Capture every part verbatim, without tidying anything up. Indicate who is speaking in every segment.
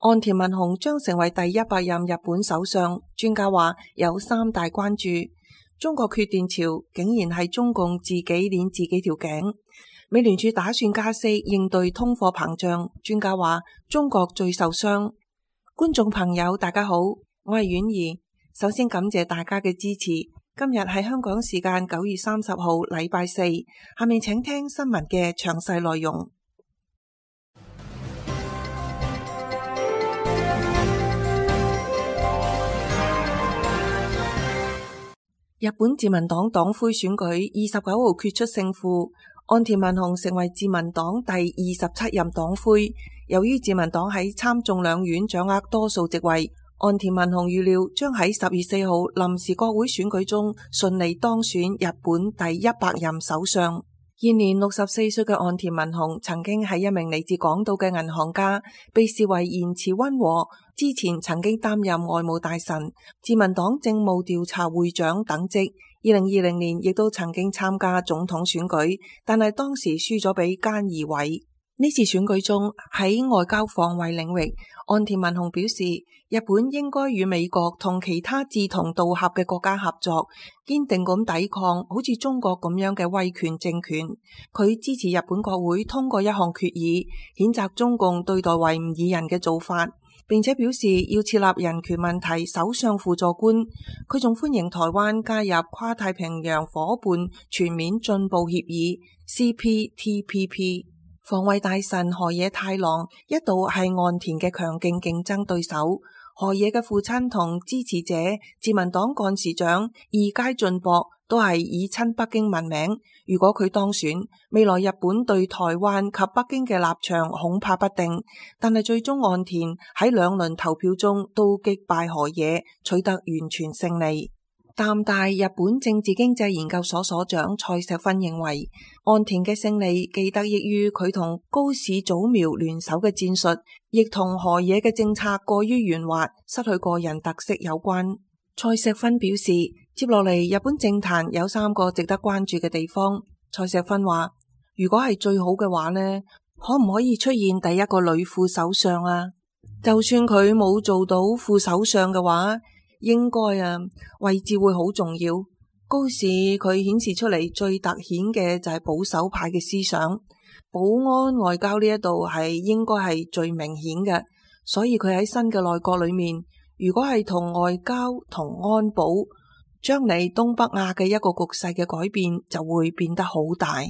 Speaker 1: 岸田文雄將成為第一百任日本首相。專家話有三大關注：中國缺電潮竟然係中共自己捏自己條頸；美聯儲打算加息應對通貨膨脹。專家話中國最受傷。觀眾朋友大家好，我係婉兒。首先感謝大家嘅支持。今日係香港時間九月三十號禮拜四，下面請聽新聞嘅詳細內容。日本自民黨黨魁選舉二十九號決出勝負，岸田文雄成為自民黨第二十七任黨魁。由於自民黨喺參眾兩院掌握多數席位，岸田文雄預料將喺十月四號臨時國會選舉中順利當選日本第一百任首相。現年六十四歲嘅岸田文雄曾經係一名嚟自港島嘅銀行家，被視為言辭溫和。之前曾經擔任外務大臣、自民黨政務調查會長等職。二零二零年亦都曾經參加總統選舉，但係當時輸咗俾菅義偉。呢次選舉中喺外交防衛領域，岸田文雄表示，日本應該與美國同其他志同道合嘅國家合作，堅定咁抵抗好似中國咁樣嘅威權政權。佢支持日本國會通過一項決議，譴責中共對待維吾爾人嘅做法，並且表示要設立人權問題首相輔助官。佢仲歡迎台灣加入跨太平洋夥伴全面進步協議 C P T P P。防衛大臣河野太郎一度係岸田嘅強勁競爭對手。河野嘅父親同支持者自民黨幹事長二階俊博都係以親北京聞名。如果佢當選，未來日本對台灣及北京嘅立場恐怕不定。但係最終岸田喺兩輪投票中都擊敗河野，取得完全勝利。淡大日本政治經濟研究所所長蔡石芬認為，岸田嘅勝利既得益於佢同高市早苗聯手嘅戰術，亦同河野嘅政策過於圓滑，失去個人特色有關。蔡石芬表示，接落嚟日本政壇有三個值得關注嘅地方。蔡石芬話，如果係最好嘅話呢，可唔可以出現第一個女副首相啊？就算佢冇做到副首相嘅話，應該啊，位置會好重要。高市佢顯示出嚟最突顯嘅就係保守派嘅思想，保安外交呢一度係應該係最明顯嘅，所以佢喺新嘅內閣裏面，如果係同外交同安保，將嚟東北亞嘅一個局勢嘅改變就會變得好大。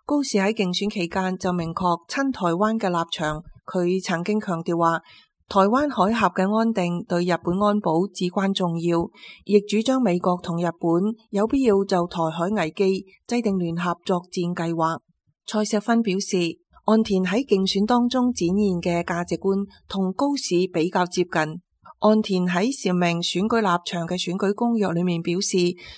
Speaker 1: 高市喺競選期間就明確親台灣嘅立場，佢曾經強調話，台灣海峽嘅安定對日本安保至關重要，亦主張美國同日本有必要就台海危機制定聯合作戰計劃。蔡石芬表示，岸田喺競選當中展現嘅價值觀同高市比較接近。岸田喺闡明選舉立場嘅選舉公約裏面表示，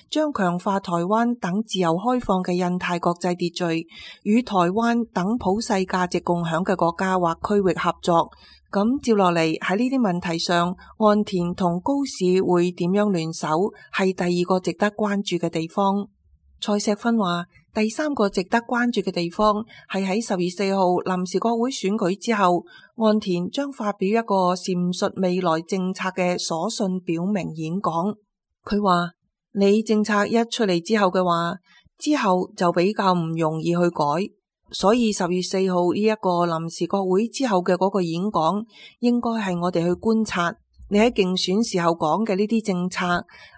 Speaker 1: 將強化台灣等自由開放嘅印太國際秩序，與台灣等普世價值共享嘅國家或區域合作。咁接落嚟喺呢啲問題上，岸田同高市會點樣聯手，係第二個值得關注嘅地方。蔡石芬話，第三個值得關注嘅地方係喺十月四號臨時國會選舉之後，岸田將發表一個闡述未來政策嘅所信表明演講。佢話，你政策一出嚟之後嘅話，之後就比較唔容易去改。所以十月四號呢一個臨時國會之後嘅嗰個演講，應該係我哋去觀察你喺競選時候講嘅呢啲政策。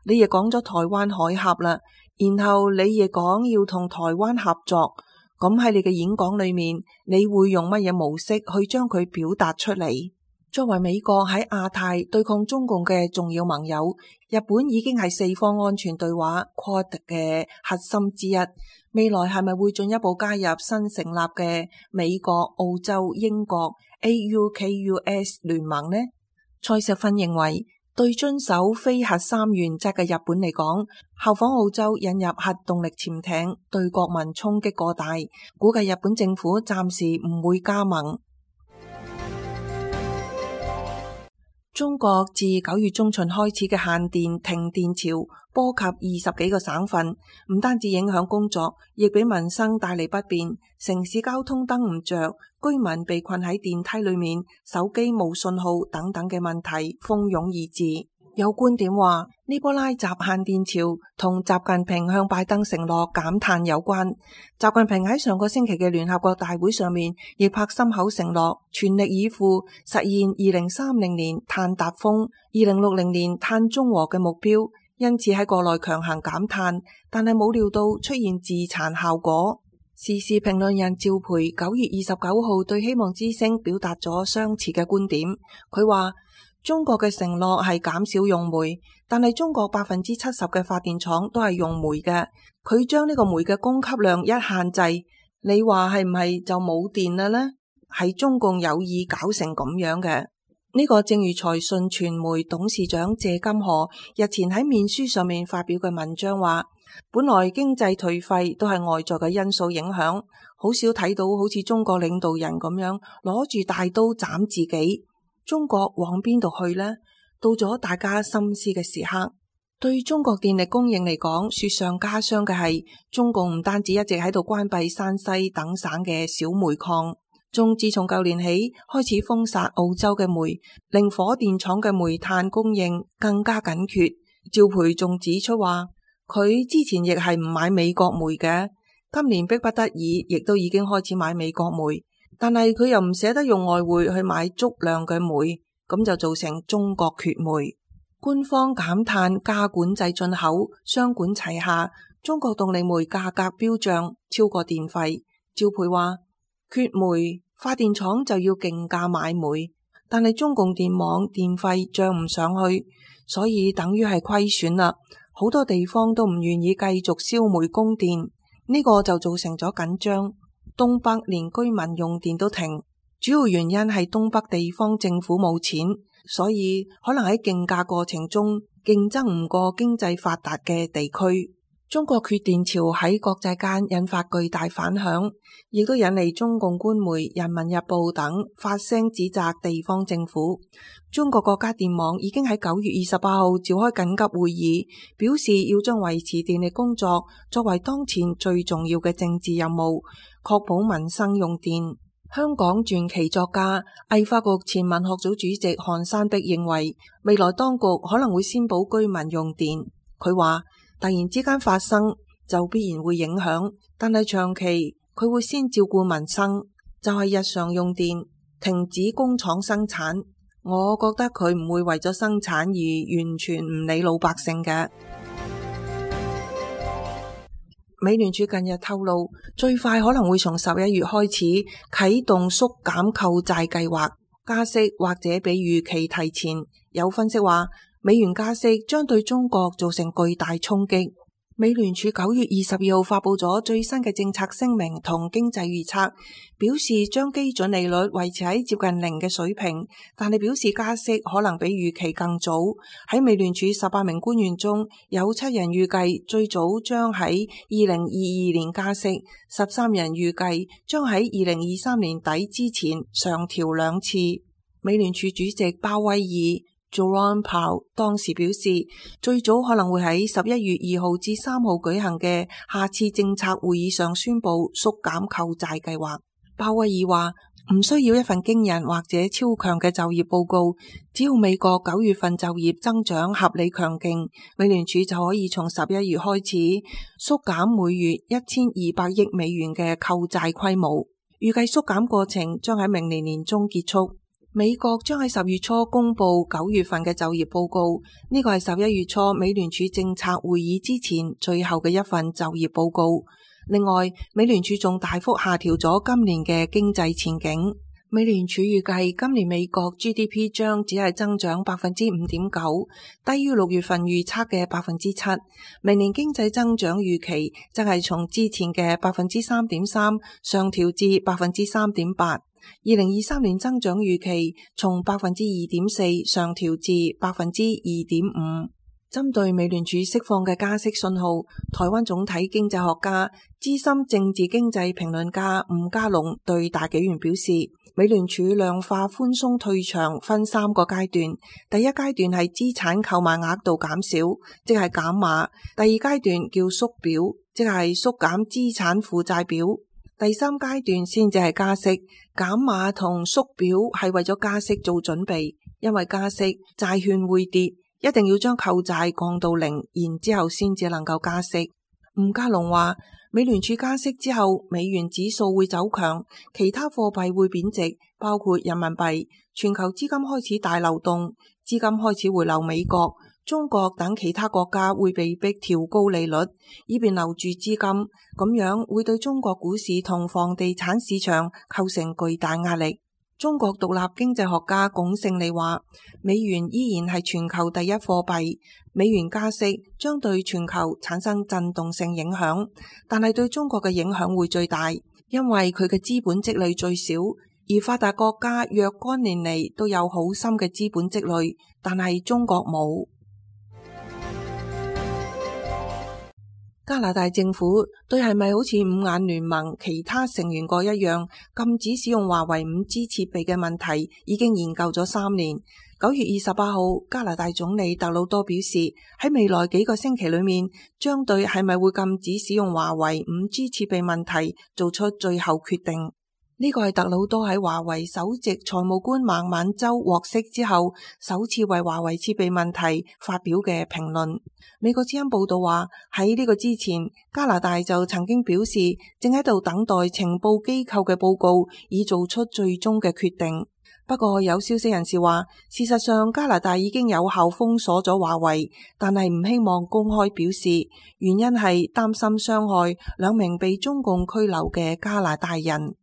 Speaker 1: 你亦講咗台灣海峽啦，然後你亦講要同台灣合作。咁喺你嘅演講裏面，你會用乜嘢模式去將佢表達出嚟？作為美國喺亞太對抗中共嘅重要盟友，日本已經係四方安全對話 Quad 嘅核心之一。未來係咪會進一步加入新成立嘅美國、澳洲、英國 A U K U S 聯盟呢？蔡石芬認為，對遵守非核三原則嘅日本嚟講，效仿澳洲引入核動力潛艇對國民衝擊過大，估計日本政府暫時唔會加盟。中國自九月中旬開始嘅限電停電潮，波及二十幾個省份，唔單止影響工作，亦俾民生帶嚟不便。城市交通燈唔着，居民被困喺電梯裏面，手機冇信號等等嘅問題蜂擁而至。有觀點話，呢波拉習限電潮同習近平向拜登承諾減碳有關。習近平喺上個星期嘅聯合國大會上面，亦拍心口承諾全力以赴實現二零三零年碳達峰、二零六零年碳中和嘅目標。因此喺國內強行減碳，但係冇料到出現自殘效果。時事評論人趙培九月二十九號對希望之聲表達咗相似嘅觀點。佢話，中國嘅承諾係減少用煤，但係中國百分之七十嘅發電廠都係用煤嘅。佢將呢個煤嘅供給量一限制，你話係唔係就冇電啦呢？係中共有意搞成咁樣嘅。呢個正如財訊傳媒董事長謝金河日前喺面書上面發表嘅文章話，本來經濟頹廢都係外在嘅因素影響，好少睇到好似中國領導人咁樣攞住大刀斬自己。中國往邊度去呢？到咗大家深思嘅時刻。對中國電力供應嚟講，雪上加霜嘅係中共唔單止一直喺度關閉山西等省嘅小煤礦，仲自從舊年起開始封殺澳洲嘅煤，令火電廠嘅煤炭供應更加緊缺。趙培仲指出話，佢之前亦係唔買美國煤嘅，今年迫不得已亦都已經開始買美國煤。但係佢又唔捨得用外匯去買足量嘅煤，咁就造成中國缺煤。官方減碳加管制進口，雙管齊下，中國動力煤價格飆漲，超過電費。趙培話，缺煤，發電廠就要競價買煤，但係中共電網電費漲唔上去，所以等於係虧損啦。好多地方都唔願意繼續燒煤供電，呢個就造成咗緊張。東北連居民用電都停，主要原因係東北地方政府冇錢，所以可能喺競價過程中競爭唔過經濟發達嘅地區。中國缺電潮喺國際間引發巨大反響，亦都引嚟中共官媒《人民日報》等發聲指責地方政府。中國國家電網已經喺九月二十八號召開緊急會議，表示要將維持電力工作作為當前最重要嘅政治任務，確保民生用電。香港傳奇作家、藝發局前文學組主席韓山碧認為，未來當局可能會先保居民用電。佢話，突然之間發生就必然會影響，但係長期佢會先照顧民生，就係日常用電，停止工廠生產。我覺得佢唔會為咗生產而完全唔理老百姓嘅。美聯儲近日透露，最快可能會從十一月開始啟動縮減購債計劃，加息或者比預期提前。有分析話，美元加息將對中國造成巨大衝擊。美聯儲九月二十二號發佈咗最新嘅政策聲明同經濟預測，表示將基準利率維持喺接近零嘅水平，但係表示加息可能比預期更早。喺美聯儲十八名官員中，有七人預計最早將喺二零二二年加息，十三人預計將喺二零二三年底之前上調兩次。美聯儲主席鮑威爾Jerome Powell 當時表示，最早可能會喺十一月二號至三號舉行嘅下次政策會議上宣布縮減購債計劃。鮑威爾話，唔需要一份驚人或者超強嘅就業報告，只要美國九月份就業增長合理強勁，美聯儲就可以從十一月開始縮減每月一千二百億美元嘅購債規模。預計縮減過程將喺明年年中結束。美國將喺十月初公布九月份嘅就業報告，呢個係十一月初美聯儲政策會議之前最後嘅一份就業報告。另外，美聯儲仲大幅下調咗今年嘅經濟前景。美聯儲預計今年美國 G D P 將只係增長百分之五點九，低於六月份預測嘅百分之七。明年經濟增長預期則係從之前嘅百分之三點三上調至百分之三點八。二零二三年增長預期從百分之二點四上調至百分之二點五。針對美聯儲釋放嘅加息信號，台灣總體經濟學家、資深政治經濟評論家吳家龍對大紀元表示，美聯儲量化寬鬆退場分三個階段，第一階段係資產購買額度減少，即係減碼；第二階段叫縮表，即係縮減資產負債表；第三階段先至係加息。減碼同縮表係為咗加息做準備，因為加息債券會跌。一定要將購債降到零，然之後先至能夠加息。吳家龍話，美聯儲加息之後，美元指數會走強，其他貨幣會貶值，包括人民幣。全球資金開始大流動，資金開始回流美國、中國等其他國家會被逼調高利率，以便留住資金。咁樣會對中國股市同房地產市場構成巨大壓力。中國獨立經濟學家龔勝利話，美元依然係全球第一貨幣，美元加息將對全球產生震動性影響，但係對中國嘅影響會最大，因為佢嘅資本積累最少，而發達國家若干年嚟都有好深嘅資本積累，但係中國冇。加拿大政府對係咪好似五眼聯盟其他成員國一樣禁止使用華為五 G 設備嘅問題已經研究咗三年。九月二十八號，加拿大總理特魯多表示，喺未來幾個星期裏面，將對係咪會禁止使用華為五 G 設備問題做出最後決定。呢個係特魯多喺華為首席財務官孟晚舟獲釋之後，首次為華為設備問題發表嘅評論。美國之音報道話，喺呢個之前，加拿大就曾經表示正喺度等待情報機構嘅報告，以做出最終嘅決定。不過有消息人士話，事實上加拿大已經有效封鎖咗華為，但係唔希望公開表示，原因係擔心傷害兩名被中共拘留嘅加拿大人。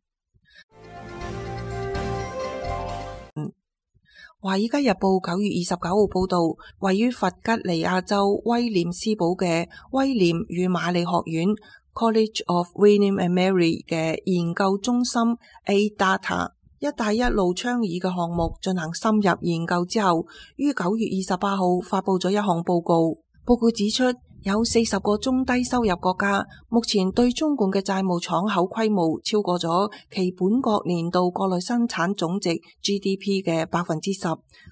Speaker 1: 《華爾街日報》九月二十九號報道，位於弗吉尼亞州威廉斯堡嘅威廉與瑪麗學院 College of William and Mary 嘅研究中心 A Data 一帶一路倡議嘅項目進行深入研究之後，於九月二十八號發佈咗一項報告。報告指出，有四十個中低收入國家目前對中共嘅債務敞口規模超過咗其本國年度國內生產總值 G D P 嘅百分之十。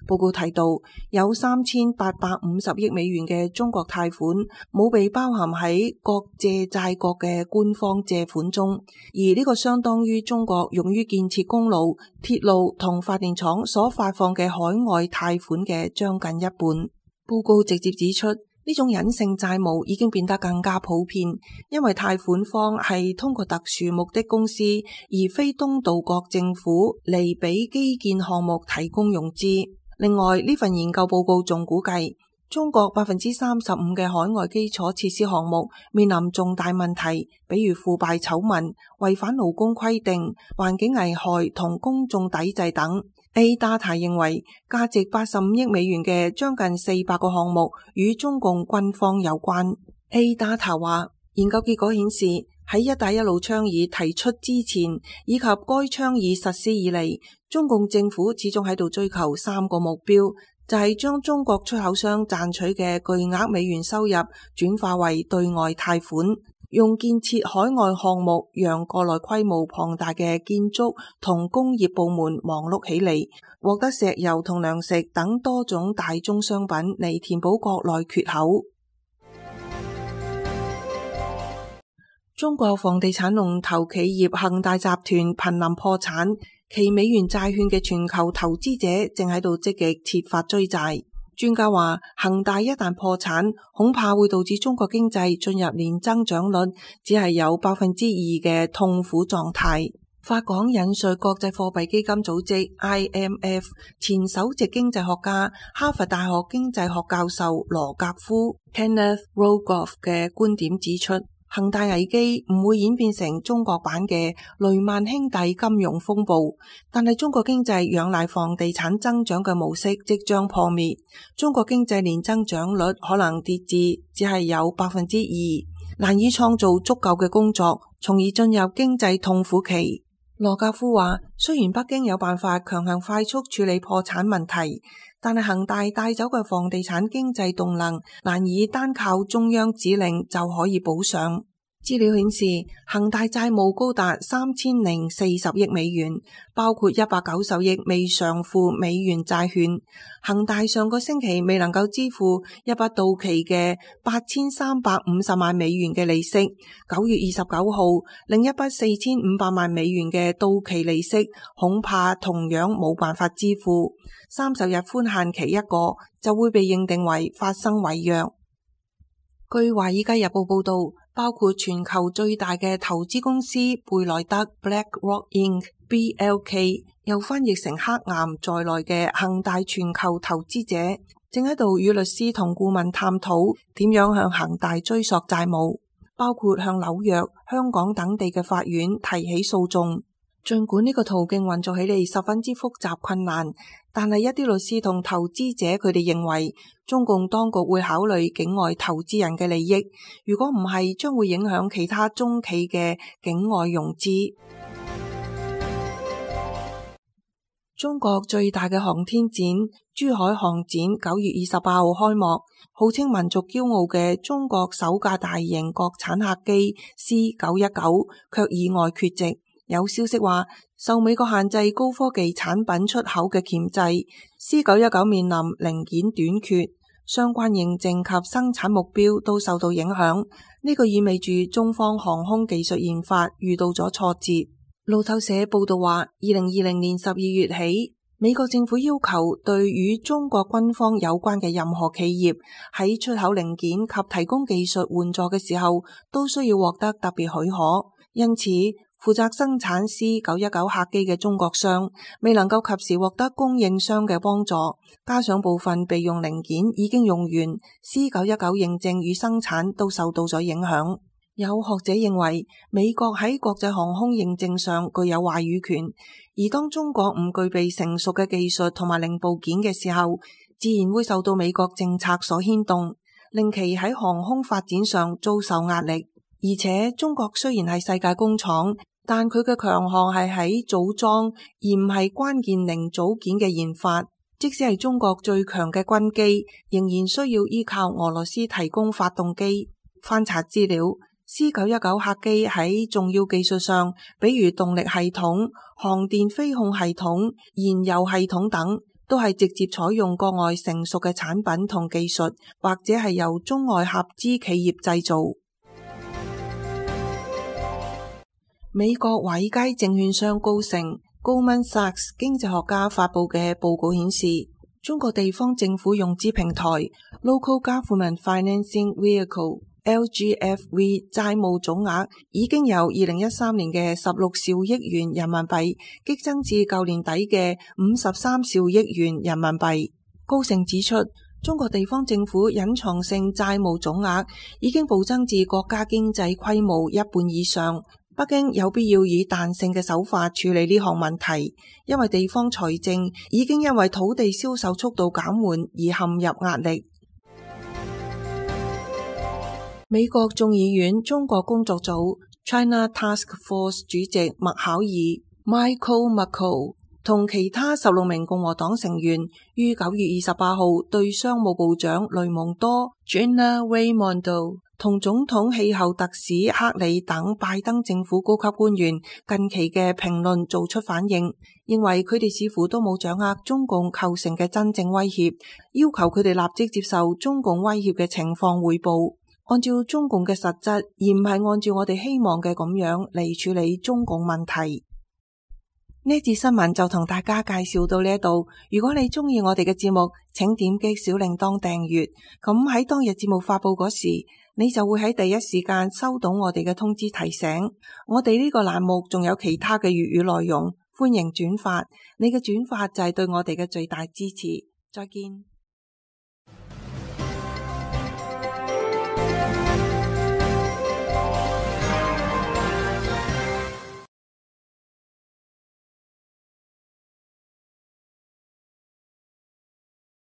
Speaker 1: 報告提到，有三千八百五十億美元嘅中國貸款冇被包含喺各借債國嘅官方借款中，而呢個相當於中國用於建設公路、鐵路同發電廠所發放嘅海外貸款嘅將近一半。報告直接指出，呢種隱性債務已經變得更加普遍，因為貸款方係通過特殊目的公司，而非東道國政府嚟俾基建項目提供融資。另外，呢份研究報告仲估計，中國百分之三十五嘅海外基礎設施項目面臨重大問題，比如腐敗醜聞、違反勞工規定、環境危害同公眾抵制等。A Data 認為，價值八十五億美元嘅將近四百個項目與中共軍方有關。A Data 話，研究結果顯示，喺一帶一路倡議提出之前，以及該倡議實施以嚟，中共政府始終喺度追求三個目標，就係將中國出口商賺取嘅巨額美元收入轉化為對外貸款，用建設海外項目讓國內規模龐大嘅建築同工業部門忙碌起嚟，獲得石油同糧食等多種大宗商品嚟填補國內缺口。中國房地產龍頭企業恒大集團瀕臨破產，其美元債券嘅全球投資者正喺度積極設法追債。專家話，恒大一旦破產，恐怕會導致中國經濟進入年增長率只係有百分之二嘅痛苦狀態。法港引述國際貨幣基金組織 I M F 前首席經濟學家、哈佛大學經濟學教授羅格夫 Kenneth Rogoff 嘅觀點指出，恒大危機唔會演變成中國版嘅雷曼兄弟金融風暴，但係中國經濟仰賴房地產增長嘅模式即將破滅，中國經濟年增長率可能跌至只係有百分之二，難以創造足夠嘅工作，從而進入經濟痛苦期。羅格夫話，雖然北京有辦法強行快速處理破產問題，但係恒大帶走嘅房地產經濟動能難以單靠中央指令就可以補上。資料顯示，恒大債務高達三千零四十億美元，包括一百九十億未償付美元債券。恒大上個星期未能夠支付一筆到期嘅八千三百五十萬美元嘅利息，九月二十九號另一筆四千五百萬美元嘅到期利息恐怕同樣冇辦法支付。三十日寬限期一個就會被認定為發生違約。據華爾街日報報道，包括全球最大嘅投資公司貝萊德 BlackRock Incorporated（B L K） 又翻譯成黑岩在內嘅恒大全球投資者，正喺度與律師同顧問探討點樣向恒大追索債務，包括向紐約、香港等地嘅法院提起訴訟。儘管呢個途徑運作起嚟十分之複雜困難，但係一啲律師同投資者佢哋認為，中共當局會考慮境外投資人嘅利益，如果唔係，將會影響其他中企嘅境外融資。中國最大嘅航天展珠海航展九月二十八號開幕，號稱民族驕傲嘅中國首架大型國產客機 C 九一九卻意外缺席。有消息話，受美國限制高科技產品出口嘅鉗制 ，C 九一九面臨零件短缺，相關認證及生產目標都受到影響。呢個意味住中方航空技術研發遇到咗挫折。路透社報道話，二零二零年十二月起，美國政府要求對與中國軍方有關嘅任何企業喺出口零件及提供技術援助嘅時候，都需要獲得特別許可。因此，負責生產 C 九一九客機嘅中國商未能夠及時獲得供應商嘅幫助，加上部分備用零件已經用完 ，C 九一九認證與生產都受到咗影響。有學者認為，美國喺國際航空認證上具有話語權，而當中國唔具備成熟嘅技術同埋零部件嘅時候，自然會受到美國政策所牽動，令其喺航空發展上遭受壓力。而且中國雖然係世界工廠，但佢嘅強項係喺組裝，而唔係關鍵零組件嘅研發。即使係中國最強嘅軍機，仍然需要依靠俄羅斯提供發動機。翻查資料， C 九一九客機喺重要技術上，比如動力系統、航電飛控系統、燃油系統等，都係直接採用國外成熟嘅產品同技術，或者係由中外合資企業製造。美國華爾街證券商高盛 Goldman Sachs 經濟學家發佈嘅報告顯示，中國地方政府融資平台 Local Government Financing Vehicle L G F V 債務總額已經由二零一三年嘅十六兆億元人民幣激增至舊年底嘅五十三兆億元人民幣。高盛指出，中國地方政府隱藏性債務總額已經暴增至國家經濟規模一半以上。北京有必要以彈性嘅手法處理呢項問題，因為地方財政已經因為土地銷售速度減緩而陷入壓力。美國眾議院中國工作組 China Task Force 主席麥考爾 Michael McCaul 同其他十六名共和黨成員於九月二十八號對商務部長雷蒙多 Gina Raimondo 同總統氣候特使克里等拜登政府高級官員近期嘅評論做出反應，認為佢哋似乎都冇掌握中共構成嘅真正威脅，要求佢哋立即接受中共威脅嘅情況匯報，按照中共嘅實質，而唔係按照我哋希望嘅咁樣嚟處理中共問題。呢節新聞就同大家介紹到呢度。如果你中意我哋嘅節目，請點擊小鈴鐺訂閱，咁喺當日節目發佈嗰時，你就會喺第一時間收到我哋嘅通知提醒。我哋呢個欄目仲有其他嘅粵語內容，歡迎轉發。你嘅轉發就係對我哋嘅最大支持。再見。